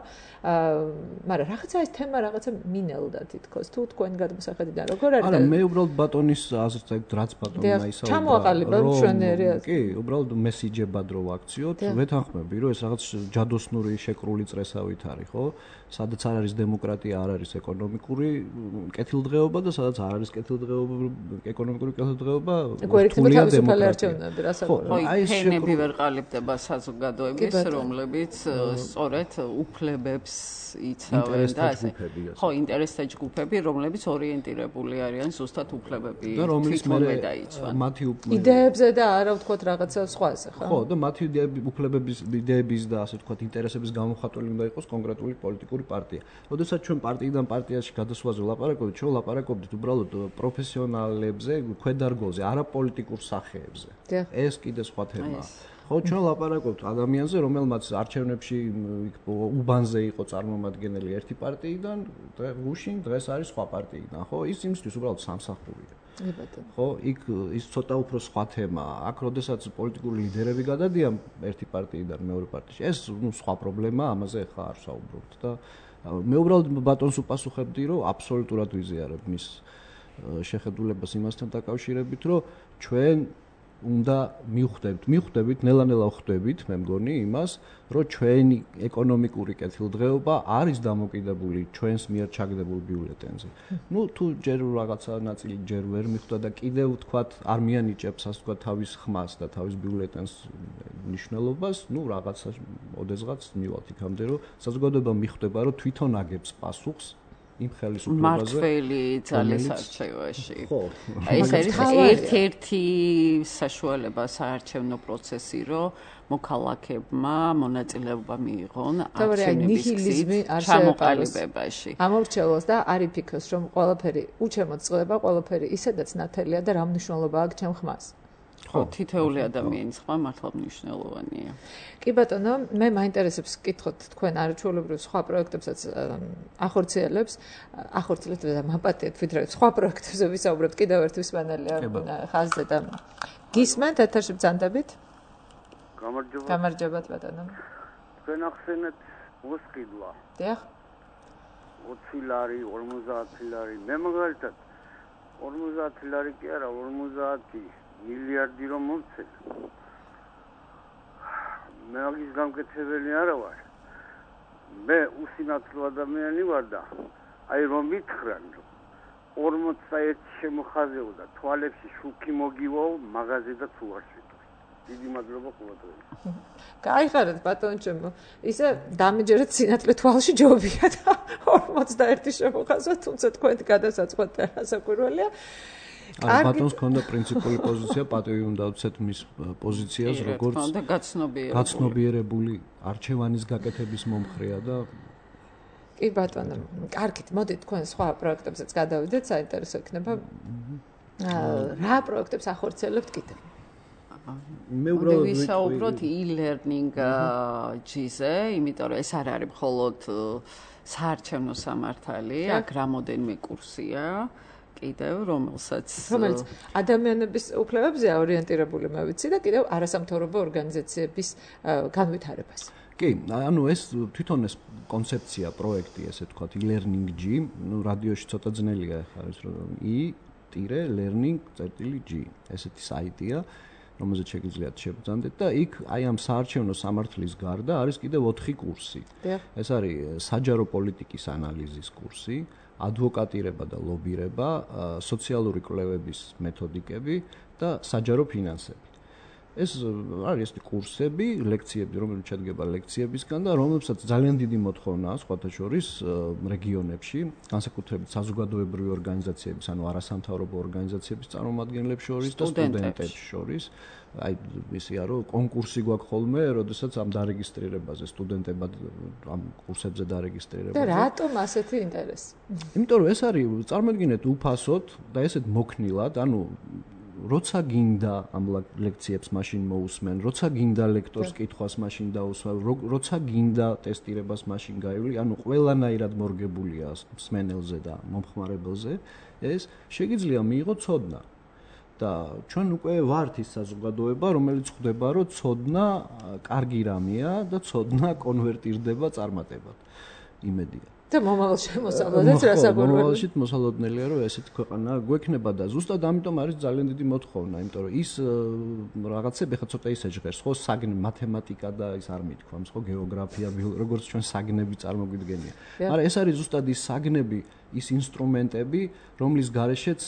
მაგრამ რაღაცა ეს თემა რაღაცა მინელდა თითქოს თუ თქვენ გადმოსახედიდან როგორ არის არა მე უბრალოდ ბატონის აზრს ეგ რაც ბატონმა ისაუბრა ჩამოაყალიბა მშვენიერი კი უბრალოდ მესიჯებად რო ვაქციოთ ვეთანხმები რომ ეს რაღაც ჯადოსნური შეკრული წრესავით არის ხო სადაც არ არის დემოკრატია არ არის ეკონომიკური კეთილდღეობა და სადაც არ არის კეთილდღეობა ეკონომიკური კეთილდღეობა რთულია დემოკრატია ხო აი ფენები ვერ ყალიბდება საზოგადოების რომლებიც სწორედ უფლებებს იცავენ და ასე ხო ინტერესთა ჯგუფები რომლებიც ორიენტირებული არიან ზუსტად უფლებები და რომლის მე დაიცვან მათი იდეებზე და არა ვთქვათ რაღაცა სხვაზე ხო ხო და მათი უფლებების იდეების და ასე ვთქვათ ინტერესების გამოხატველი უნდა იყოს კონკრეტული პოლიტიკური პარტია. როდესაც ჩვენ პარტიიდან პარტიაში გადასვლაზე ვლაპარაკობთ, ჩვენ ვლაპარაკობთ უბრალოდ პროფესიონალებზე, ქვედარგოზე, არა პოლიტიკურ სახეებზე. ეს კიდე სხვა თემაა. ხო, ჩვენ ვლაპარაკობთ ადამიანზე, რომელმაც არჩევნებში უბანზე იყო წარმომადგენელი ერთი პარტიიდან, გუშინ დღეს არის სხვა პარტიიდან, ხო? ის იმისთვის უბრალოდ სამსახურია. ხო, იქ ის ცოტა უფრო სხვა თემაა. აქ როდესაც პოლიტიკური ლიდერები გადადიან ერთი პარტიიდან მეორე პარტიაში, ეს ნუ სხვა პრობლემაა, ამაზე ხა არ საუბრობთ და მე უბრალოდ ბატონს უპასუხებდი, რომ აბსოლუტურად ვიზიარებ მის შეხედულებას იმასთან დაკავშირებით, რომ ჩვენ უნდა მივხვდებით, მივხვდებით, ნელა-ნელა ვხვდებით, მე მგონი იმას, რომ ჩვენი ეკონომიკური კეთილდღეობა არის დამოკიდებული ჩვენს მიერ ჩაგდებულ ბიულეტენზე. ნუ თუ ჯერ რაღაცა ნაწილი ჯერ ვერ მიხვდა და კიდევ თქვათ არ მიანიჭებს ასე თქვათ თავის ხმას და თავის ბიულეტენს მნიშვნელობას, ნუ რაღაცა ოდესღაც მივალთ იქამდე, რომ საზოგადოება მიხვდება, რომ თვითონ აგებს პასუხს იმ ხელისუფლებაზე მართველი ძალის არჩევაში. ხო. ეს არის ერთ-ერთი საშუალება საარჩევნო პროცესი, რომ მოქალაქეებმა მონაწილეობა მიიღონ არჩევნების ჩამოყალიბებაში. ამორჩეულს და არ იფიქროს, რომ ყველაფერი უჩემოდ წყდება, ყველაფერი ისედაც ნათელია და რა მნიშვნელობა აქვს ჩემ ხმას. ხო, თითოეული ადამიანის ხმა მართლა მნიშვნელოვანია. კი ბატონო, მე მაინტერესებს კითხოთ თქვენ არაჩვეულებრივ სხვა პროექტებსაც ახორციელებს, ახორციელებთ და მაპატიეთ ვიდრე სხვა პროექტებზე ვისაუბრებთ, კიდევ ერთ ვისმენელია ხაზზე და გისმენთ ეთერში ბრძანდებით? გამარჯობა. გამარჯობა ბატონო. თქვენ ახსენეთ მოსყიდვა. დიახ. ოცი ლარი, ორმოცდაათი ლარი. მე მაგალითად ორმოცდაათი ლარი კი არა, ორმოცდაათი მილიარდი რომ მომცენ. მე მაგის გამკეთებელი არა ვარ. მე უსინათლო ადამიანი ვარ და აი რომ მითხრან ორმოცდაერთი შემოხაზეო და თვალებში შუქი მოგივაო მაღაზია და თუ არ შეტყვი. დიდი მადლობა ყოველდღე. გაიხარეთ ბატონო ჩემო. ისე დამეჯერეთ სინათლე თვალში ჯობია და ორმოცდაერთი შემოხაზვა, თუმცა თქვენ გადასაწყვეტ ასაკვირველია. ბატონს ქონდა პრინციპული პოზიცია, პატივი უნდა უცეთ მის პოზიციას, როგორც გაცნობიერებული არჩევანის გაკეთების მომხრეა და კი ბატონო, კარგით, მოდით თქვენ სხვა პროექტებსაც გადავიდეთ, საინტერესო იქნება. რა პროექტებს ახორციელებთ კიდევ? მე უბრალოდ ვისაუბროთ e-learning ჯიზე, იმიტომ რომ ეს არ არის მხოლოდ საარჩევნო სამართალი, აქ რამოდენიმე კურსია. კიდევ რომელსაც რომელიც ადამიანების უფლებებზეა ორიენტირებული მე ვიცი და კიდევ არასამთავრობო ორგანიზაციების განვითარებას. კი, ანუ ეს თვითონ ეს კონცეფცია, პროექტი, ესე ვთქვათ, e-learning G, ну რადიოში ცოტა ძნელია ხა ეს რომ e-learning.g ესეთი საიტია, რომელზეც შეგიძლიათ შეგბრძანდეთ და იქ აი ამ საარჩევნო სამართლის გარდა არის კიდევ ოთხი კურსი. ეს არის საჯარო პოლიტიკის ანალიზის კურსი, ადვოკატირება და ლობირება, სოციალური კვლევების მეთოდიკები და საჯარო ფინანსები. ეს არის კურსები, ლექციები, რომელიც შედგება ლექციებისგან და რომლებსაც ძალიან დიდი მოთხოვნა აქვს სხვათა შორის რეგიონებში, განსაკუთრებით საზოგადოებრივი ორგანიზაციების, ანუ არასამთავრობო ორგანიზაციების წარმომადგენლებს შორის და სტუდენტებს შორის. აი ისია რომ კონკურსი გვაქვს ხოლმე, როდესაც ამ დარეგისტრირებაზე სტუდენტებად ამ კურსებზე დარეგისტრირებაზე. და რატომ ასეთი ინტერესი? იმიტომ რომ ეს არის წარმოიდგინეთ უფასოდ და ესეთ მოქნილად, ანუ როცა გინდა ამ ლექციებს მაშინ მოусმენ, როცა გინდა ლექტორს კითხვას მაშინ დაუსვა, როცა გინდა ტესტირებას მაშინ გაივლი, ანუ ყველანაირად მორგებულია მსმენელზე და მომხმარებელზე, ეს შეიძლება მიიღო ცოდნა. და ჩვენ უკვე ვართ ის საზოგადოება, რომელიც ხვდება, რომ ცოდნა კარგი რამეა და ცოდნა კონვერტირდება წარმატებად. იმედია. და მომავალ შემოსავლადაც რასაკვირველია. მომავალში მოსალოდნელია, რომ ესეთი ქვეყანა გვექნება და ზუსტად ამიტომ არის ძალიან დიდი მოთხოვნა, იმიტომ რომ ის რაღაცები ხა ცოტა ისე ჟღერს, ხო, საგნე მათემატიკა და ის არ მithქვამს, ხო, გეოგრაფია, როგორც ჩვენ საგნები წარმოგვიდგენია. მაგრამ ეს არის ზუსტად ის საგნები, ის ინსტრუმენტები, რომლის გარეშეც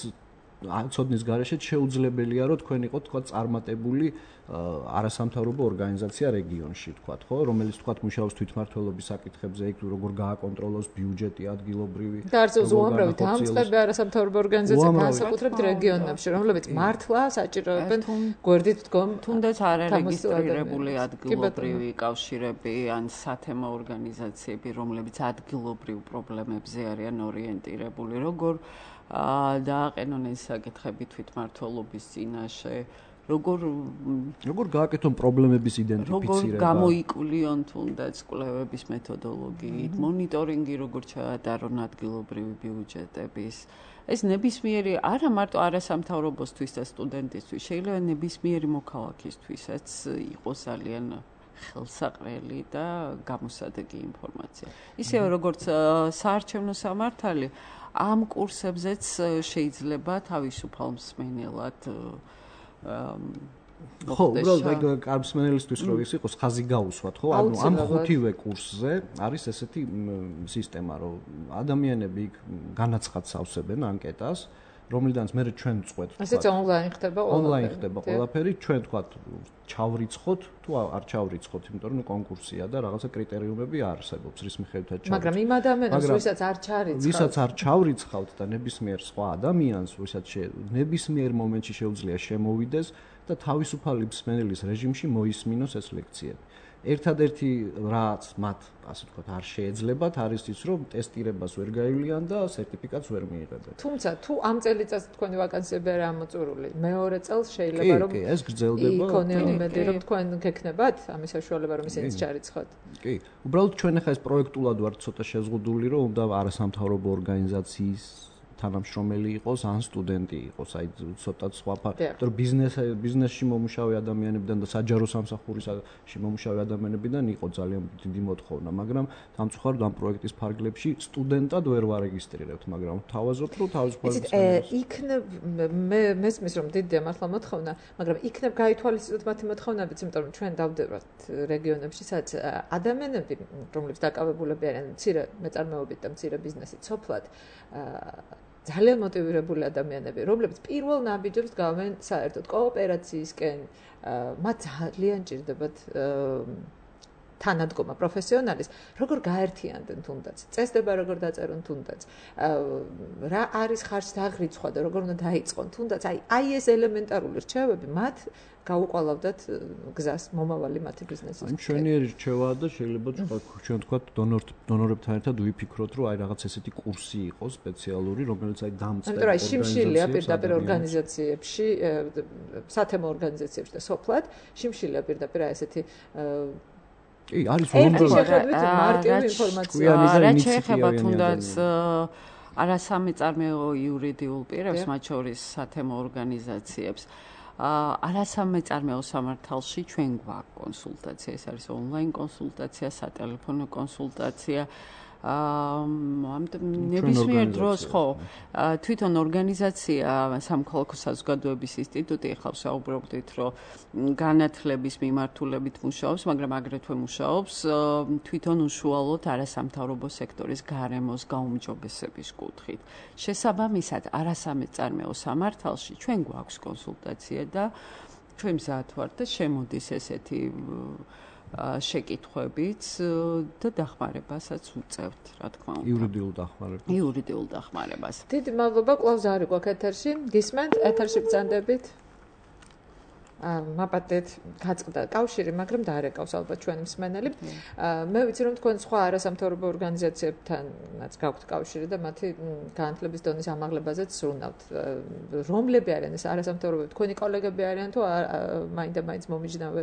ცოდნის გარეშეც შეუძლებელია რომ თქვენ იყოთ თქვა წარმატებული არასამთავრობო ორგანიზაცია რეგიონში თქვა ხო რომელიც თქვა მუშაობს თვითმმართველობის საკითხებზე იქ როგორ გააკონტროლოს ბიუჯეტი ადგილობრივი და არც უამრავი დამწყები არასამთავრობო ორგანიზაცია განსაკუთრებით რეგიონებში რომლებიც მართლა საჭიროებენ გვერდით დგომ თუნდაც არარეგისტრირებული ადგილობრივი კავშირები ან სათემო ორგანიზაციები რომლებიც ადგილობრივ პრობლემებზე არიან ორიენტირებული როგორ დააყენონ ეს საკითხები თვითმმართველობის წინაშე როგორ როგორ გააკეთონ პრობლემების იდენტიფიცირება როგორ გამოიკულიონ თუნდაც კვლევების მეთოდოლოგიით მონიტორინგი როგორ ჩაატარონ ადგილობრივი ბიუჯეტების ეს ნებისმიერი არა მარტო არასამთავრობოსთვის და სტუდენტისთვის შეიძლება ნებისმიერი მოქალაქისთვისაც იყოს ძალიან ხელსაყრელი და გამოსადეგი ინფორმაცია ისევე როგორც საარჩევნო სამართალი ამ კურსებზეც შეიძლება თავისუფალ მსმენელად ხო, უბრალოდ კარბსმენელისთვის რო ის იყოს ხაზი გაუსვათ, ხო? ანუ ამ ხუთივე კურსზე არის ესეთი სისტემა, რომ ადამიანები იქ განაცხადს ავსებენ ანკეტას, რომლიდანაც მე ჩვენ წყვეთ. ასეც ონლაინ ხდება ყველაფერი. ონლაინ ხდება ყველაფერი, ჩვენ თქვა ჩავრიცხოთ, თუ არ ჩავრიცხოთ, იმიტომ რომ კონკურსია და რაღაცა კრიტერიუმები არსებობს, რის მიხედვითაც ჩავრიცხოთ. მაგრამ იმ ადამიანს, ვისაც არ ჩარიცხავთ, ვისაც არ ჩავრიცხავთ და ნებისმიერ სხვა ადამიანს, ვისაც ნებისმიერ მომენტში შეუძლია შემოვიდეს და თავისუფალი მსმენელის რეჟიმში მოისმინოს ეს ლექციები. ერთადერთი რაც მათ ასე ვთქვათ არ შეეძლებათ არის ის რომ ტესტირებას ვერ გაივლიან და სერტიფიკატს ვერ მიიღებენ. თუმცა თუ ამ წელიწადს თქვენი ვაკანსიები არ ამოწურული, მეორე წელს შეიძლება რომ კი, ეს გრძელდება. იქონია იმედი რომ თქვენ გექნებათ ამის საშუალება რომ ისინიც ჩარიცხოთ. კი, უბრალოდ ჩვენ ახლა ეს პროექტულად ვართ ცოტა შეზღუდული რომ უნდა არასამთავრობო ორგანიზაციის თანამშრომელი იყოს ან სტუდენტი იყოს, აი ცოტა სხვა ფაქტი, რომ ბიზნეს ბიზნესში მომუშავე ადამიანებიდან და საჯარო სამსახურში მომუშავე ადამიანებიდან იყო ძალიან დიდი მოთხოვნა, მაგრამ სამწუხაროდ ამ პროექტის ფარგლებში სტუდენტად ვერ ვარეგისტრირებთ, მაგრამ თავაზობთ, რომ თავისუფლად იქნებ მე მესმის რომ დიდია მართლა მოთხოვნა, მაგრამ იქნებ გაითვალისწინოთ მათი მოთხოვნებიც, იმიტომ რომ ჩვენ დავდევრთ რეგიონებში, სადაც ადამიანები, რომლებიც დაკავებულები არიან მცირე მეწარმეობით და მცირე ბიზნესით სოფლად, ძალიან მოტივირებული ადამიანები, რომლებიც პირველ ნაბიჯებს გავენ საერთოდ კოოპერაციისკენ, მათ ძალიან ჭირდებათ თანადგომა პროფესიონალის, როგორ გაერთიანდნენ თუნდაც, წესდება როგორ დაწერონ თუნდაც, რა არის ხარჯს დაღრიცხვა და როგორ უნდა დაიწყონ თუნდაც, აი აი ეს ელემენტარული რჩევები მათ გაუყალავდათ გზას მომავალი მათი ბიზნესის. აი მშვენიერი რჩევაა და შეიძლება ჩვენ თქვათ დონორებთან ერთად ვიფიქროთ, რომ აი რაღაც ესეთი კურსი იყოს სპეციალური, რომელიც აი დამწყებ ორგანიზაციებში. აი შიმშილია პირდაპირ ორგანიზაციებში, სათემო ორგანიზაციებში და სოფლად, შიმშილია პირდაპირ აი ესეთი კი, არის უამრავი მარტივი ინფორმაცია. რა შეეხება თუნდაც არასამეწარმეო იურიდიულ პირებს, მათ შორის სათემო ორგანიზაციებს. არასამეწარმეო სამართალში ჩვენ გვაქვს კონსულტაცია, ეს არის ონლაინ კონსულტაცია, სატელეფონო კონსულტაცია. ამიტომ ნებისმიერ დროს ხო თვითონ ორგანიზაცია სამოქალაქო საზოგადოების ინსტიტუტი ახლა საუბრობდით რომ განათლების მიმართულებით მუშაობს, მაგრამ აგრეთვე მუშაობს თვითონ უშუალოდ არასამთავრობო სექტორის გარემოს გაუმჯობესების კუთხით. შესაბამისად, არასამეწარმეო სამართალში ჩვენ გვაქვს კონსულტაცია და ჩვენ მზად ვართ და შემოდის ესეთი შეკითხვებიც და დახმარებასაც უწევთ, რა თქმა უნდა. იურიდიულ დახმარებას. იურიდიულ დახმარებას. დიდი მადლობა, კვლავ ზარი გვაქვს ეთერში. გისმენთ, ეთერში ბრძანდებით. აა მაპატეთ გაწყდა კავშირი, მაგრამ დაარეკავს ალბათ ჩვენი მსმენელი. მე ვიცი რომ თქვენ სხვა არასამთავრობო ორგანიზაციებთანაც გაქვთ კავშირი და მათი განათლების დონის ამაღლებაზეც სურნავთ. რომლები არიან ეს არასამთავრობო? თქვენი კოლეგები არიან თუ მაინდა მაინც მომიჯნავე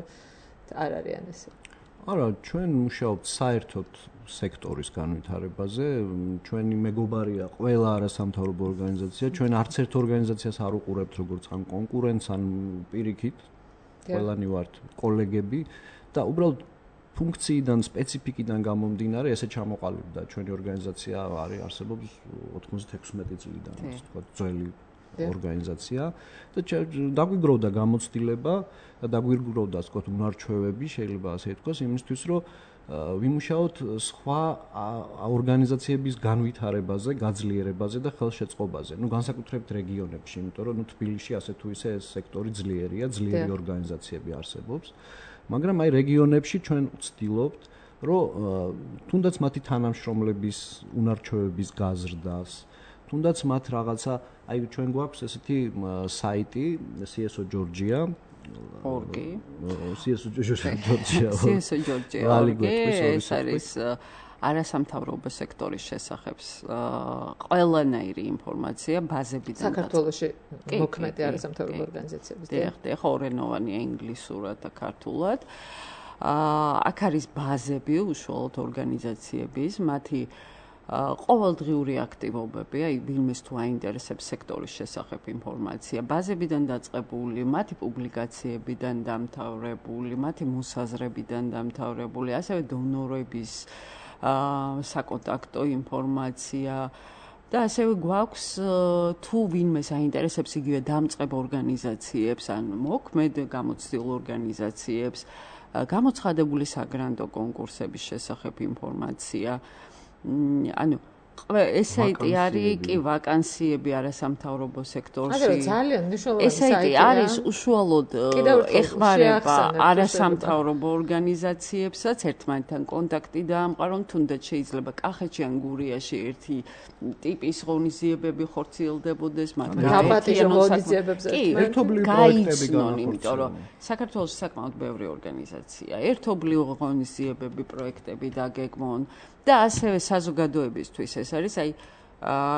არ არიან ესე. არა, ჩვენ მუშაობთ საერთოდ სექტორის განვითარებაზე. ჩვენი მეგობარია ყველა არასამთავრობო ორგანიზაცია. ჩვენ არც ერთ ორგანიზაციას არ უყურებთ როგორც ან კონკურენტს, ან პირიქით. ყველანი ვართ კოლეგები და უბრალოდ ფუნქციიდან, სპეციფიკიდან გამომდინარე ესე ჩამოყალიბდა ჩვენი ორგანიზაცია არის არსებობს ოთხმოცდაექვსმეტი წლიდან, ასე ვთქვათ, ძველი ორგანიზაცია და დაგვიგროვდა გამოცდილება და დაგვიგროვდა ასე ვთქვათ უნარჩვევები, შეიძლება ასე ითქვას, იმისთვის რომ ვიმუშაოთ სხვა ორგანიზაციების განვითარებაზე, გაძლიერებაზე და ხელშეწყობაზე. ნუ განსაკუთრებით რეგიონებში, იმიტომ რომ ნუ თბილისში ასე თუ ისე ეს სექტორი ძლიერია, ძლიერი ორგანიზაციები არსებობს. მაგრამ აი რეგიონებში ჩვენ ვცდილობთ, რომ თუნდაც მათი თანამშრომლების უნარჩვევების გაზრდას, თუნდაც მათ რაღაცა, აი ჩვენ გვაქვს ესეთი საიტი სი ეს ო Georgia ორგი სი ეს ო Georgia სი ეს ო Georgia ორგი ეს არის არასამთავრობო სექტორის შესახებ ყველანაირი ინფორმაცია ბაზებიდან საქართველოში მოქმედი არასამთავრობო ორგანიზაციების დიახ, დიახ, ორენოვანია ინგლისურად და ქართულად. აქ არის ბაზები უშუალოდ ორგანიზაციების, მათი ყოველდღიური აქტივობები, აი ვინმეს თუ აინტერესებს სექტორის შესახებ ინფორმაცია, ბაზებიდან დაწყებული, მათი პუბლიკაციებიდან დამთავრებული, მათი მოსაზრებიდან დამთავრებული, ასევე დონორების საკონტაქტო ინფორმაცია და ასევე გვაქვს თუ ვინმეს აინტერესებს იგივე დამწყებ ორგანიზაციებს ან მოქმედ გამოცდილ ორგანიზაციებს, გამოცხადებული საგრანტო კონკურსების შესახებ ინფორმაცია. ანუ ესეთი არის კი ვაკანსიები არასამთავრობო სექტორში. ანუ ძალიან მნიშვნელოვანი ესეთი არის უშუალოდ ეხმარება არასამთავრობო ორგანიზაციებსაც ერთმანეთთან კონტაქტი დაამყარონ, თუნდაც შეიძლება კახეთში ან გურიაში ერთი ტიპის ღონისძიებები ხორციელდებოდეს, მაგრამ დაპატიჟო ღონისძიებებზე ერთობლივი პროექტები განახორციელონ, იმიტომ რომ საქართველოს საკმაოდ ბევრი ორგანიზაცია, ერთობლივი ღონისძიებები, პროექტები დაგეგმონ და ასევე საზოგადოებისთვის ეს არის, აი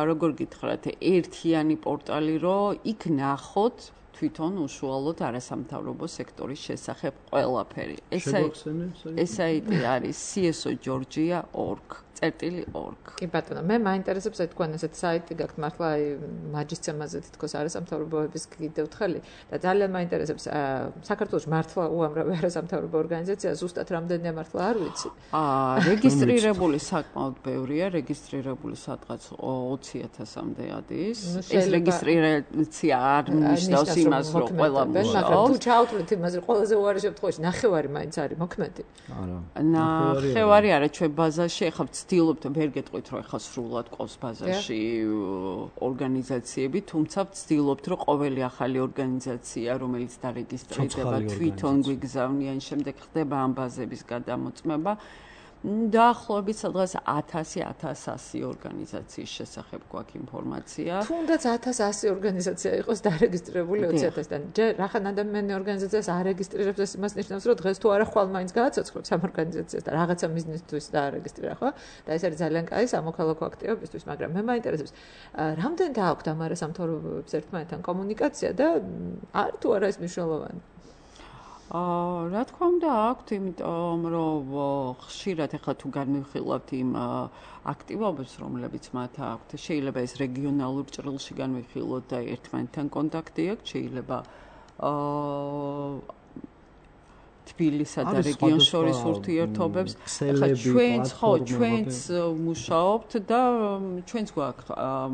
როგორ გითხრათ, ერთიანი პორტალი, რომ იქ ნახოთ თვითონ უშუალოდ არასამთავრობო სექტორის შესახებ ყველაფერი. ეს საიტი არის c s o georgia dot org. წერტილი org. კი ბატონო, მე მაინტერესებს აი თქვენ ესეთ საიტი გაქვთ მართლა აი მაჯის ცემაზე თითქოს არასამთავრობოების კიდევ თხელი და ძალიან მაინტერესებს საქართველოს მართლა უამრავი არასამთავრობო ორგანიზაცია ზუსტად რამდენია მართლა არ ვიცი. აა რეგისტრირებული საკმაოდ ბევრია, რეგისტრირებული სადღაც ოცი ათასამდე ადის. ეს რეგისტრაცია არ ნიშნავს იმას, რომ ყველა მუშაობს. მაგრამ თუ ჩავთვლით იმას, რომ ყველაზე უარი შემთხვევაში ნახევარი მაინც არის მოქმედი. არა. ნახევარი არა, ჩვენ ბაზაში ახლა ვცდილობთ, ვერ გეტყვით, რომ ახლა სრულად ყავს ბაზაში ორგანიზაციები, თუმცა ვცდილობთ, რომ ყოველი ახალი ორგანიზაცია, რომელიც დარეგისტრირდება, თვითონ გვიგზავნიან, შემდეგ ხდება ამ ბაზების გადამოწმება. დაახლოებით სადღაც ათასი ათას ასი ორგანიზაციის შესახებ გვაქვს ინფორმაცია. თუნდაც ათას ასი ორგანიზაცია იყოს დარეგისტრირებული ოცი ათასიდან. ჯერ რახან ადამიანი ორგანიზაციას არეგისტრირებს, ეს იმას ნიშნავს, რომ დღეს თუ არა ხვალ მაინც გააცოცხლებს ამ ორგანიზაციას და რაღაცა მიზნისთვის დაარეგისტრირა, ხო? და ეს არის ძალიან კაი სამოქალაქო აქტივობისთვის, მაგრამ მე მაინტერესებს, რამდენი გააქვთ ამ არასამთავრობოებს ერთმანეთთან კომუნიკაცია და არ თუ არა ეს მნიშვნელოვანი? აა რა თქმა უნდა აქვთ, იმიტომ რომ ხშირად ახლა თუ განვიხილავთ იმ აქტივობებს, რომლებიც მათ აქვთ, შეიძლება ეს რეგიონალურ ჭრილში განვიხილოთ და ერთმანეთთან კონტაქტი აქვს, შეიძლება აა თბილისსა და რეგიონს შორის ურთიერთობებს. ახლა ჩვენც ხო, ჩვენც მუშაობთ და ჩვენც გვაქვს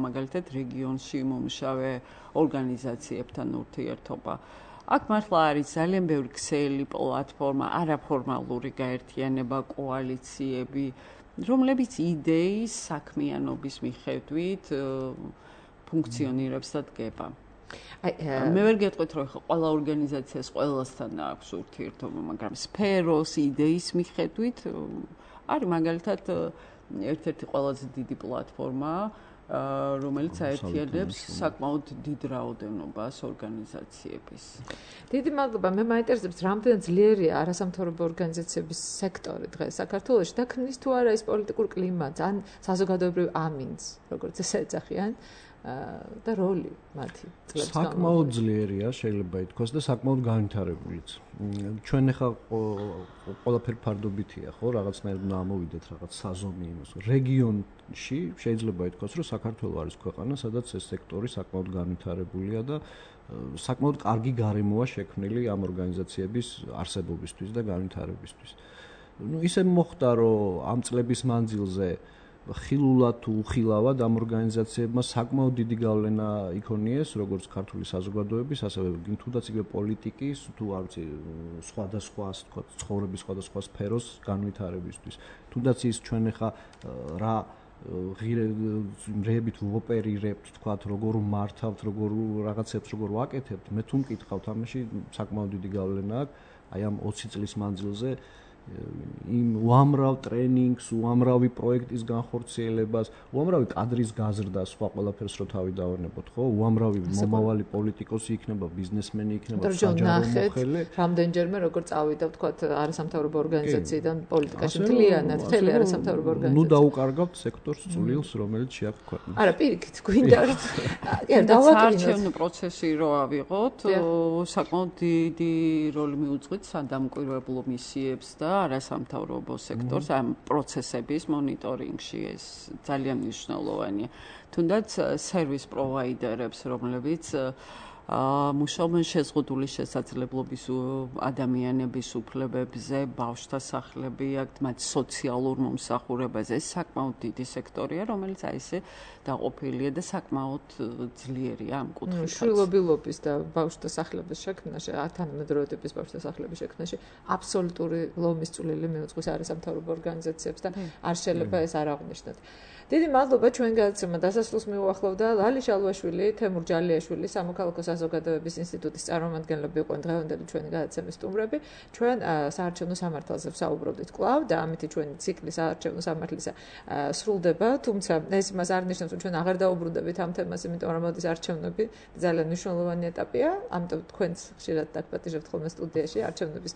მაგალითად რეგიონში მომუშავე ორგანიზაციებთან ურთიერთობა. აქ მართლა არის ძალიან ბევრი ქსელი, პლატფორმა, არაფორმალური გაერთიანება, კოალიციები, რომლებიც იდეის საქმიანობის მიხედვით ფუნქციონირებს და დგება. მე ვერ გეტყვით, რომ ხო ყველა ორგანიზაციას ყველასთან აქვს ურთიერთობა, მაგრამ სფეროს იდეის მიხედვით არის მაგალითად ერთ-ერთი ყველაზე დიდი პლატფორმა, რომელიც აერთიანებს საკმაოდ დიდ რაოდენობას ორგანიზაციების. დიდი მადლობა. მე მაინტერესებს, რამდენად ძლიერია არასამთავრობო ორგანიზაციების სექტორი დღეს საქართველოში და ქმნის თუ არა ის პოლიტიკურ კლიმატს ან საზოგადოებრივ ამინდს, როგორც ესე ეძახიან, და როლი მათი წლების განმავლობაში. საკმაოდ ძლიერია, შეიძლება ითქვას და საკმაოდ განვითარებულიც. ჩვენ ახლა ყველაფერი ფარდობითია, ხო, რაღაცნაირად უნდა ამოვიდეთ რაღაც საზომი იმას. რეგიონში შეიძლება ითქვას, რომ საქართველო არის ქვეყანა, სადაც ეს სექტორი საკმაოდ განვითარებულია და საკმაოდ კარგი გარემოა შექმნილი ამ ორგანიზაციების არსებობისთვის და განვითარებისთვის. ნუ ისე მოხდა, რომ ამ წლების მანძილზე ხილულად თუ უხილავად ამ ორგანიზაციებმა საკმაოდ დიდი გავლენა იქონიეს, როგორც ქართული საზოგადოების, ასევე თუნდაც იგივე პოლიტიკის, თუ არ ვიცი, სხვადასხვა, თქვა, ცხოვრების სხვადასხვა სფეროს განვითარებისთვის. თუნდაც ის ჩვენ ახლა რა ღირებით ვოპერირებთ, თქვა, როგორ მართავთ, როგორ რაღაცებს როგორ ვაკეთებთ, მე თუ მკითხავთ, ამაში საკმაოდ დიდი გავლენა აქვს, აი ამ ოცი წლის მანძილზე იმ უამრავ ტრენინგს, უამრავი პროექტის განხორციელებას, უამრავი კადრის გაზრდას, სხვა ყველაფერს რო თავი დავარნებოთ, ხო? უამრავი მომავალი პოლიტიკოსი იქნება, ბიზნესმენი იქნება, საჯარო მოხელე. რამდენჯერმე როგორ წავიდა, თქვათ, არასამთავრობო ორგანიზაციიდან პოლიტიკაში მთლიანად, მთელი არასამთავრობო ორგანიზაცია. ნუ დაუკარგავთ სექტორს წვრილს, რომელიც შეაქვს ქვეყნას. არა, პირიქით, გვინდა რომ კი, დავაკარჩევ პროცესი რო ავიღოთ, საკმაოდ დიდი როლი მიუძღვით სადამკვირვებლო მისიებს და არასამთავრობო სექტორს ამ პროცესების მონიტორინგში ეს ძალიან მნიშვნელოვანია. თუნდაც სერვის პროვაიდერებს, რომლებიც მუშაობენ შეზღუდული შესაძლებლობის ადამიანების უფლებებზე, ბავშვთა სახლები აქვთ, მათ სოციალურ მომსახურებაზე. ეს საკმაოდ დიდი სექტორია, რომელიც აი ესე დაყოფილია და საკმაოდ ძლიერია ამ კუთხით. შვილობილობის და ბავშვთა სახლების შექმნაში, თანამედროვე ტიპის ბავშვთა სახლების შექმნაში აბსოლუტური ლომის წვლილი მიუძღვის არასამთავრობო ორგანიზაციებს და არ შეიძლება ეს არ აღნიშნოთ. დიდი მადლობა ჩვენ გადაცემა დასასრულს მიუახლოვდა ლალი შალვაშვილი, თემურ ჯალიაშვილი, სამოქალაქო საზოგადოების ინსტიტუტის წარმომადგენლები იყვნენ დღევანდელი ჩვენი გადაცემის სტუმრები. ჩვენ საარჩევნო სამართალზე ვსაუბრობდით კვლავ და ამით ჩვენი ციკლი საარჩევნო სამართლისა სრულდება, თუმცა ეს მას არ ნიშნავს, რომ ჩვენ აღარ დაუბრუნდებით ამ თემას, იმიტომ რომ მოდის არჩევნები ძალიან მნიშვნელოვანი ეტაპია, ამიტომ თქვენც ხშირად დაგპატიჟებთ ხოლმე სტუდიაში არჩევნების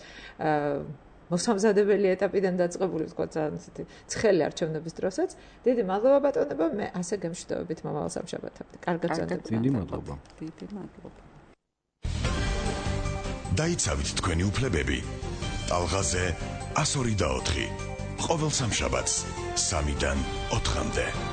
მოსამზადებელი ეტაპიდან დაწყებული, თქვა ძალიან ისეთი ცხელი არჩევნების დროსაც. დიდი მადლობა ბატონებო, მე ასე გემშვიდობებით მომავალ სამშაბათამდე. კარგად გრძელდებოდეთ. დიდი მადლობა. დიდი მადლობა. დაიცავით თქვენი უფლებები. ტალღაზე one oh four. ყოველ სამშაბათს სამიდან ოთხამდე.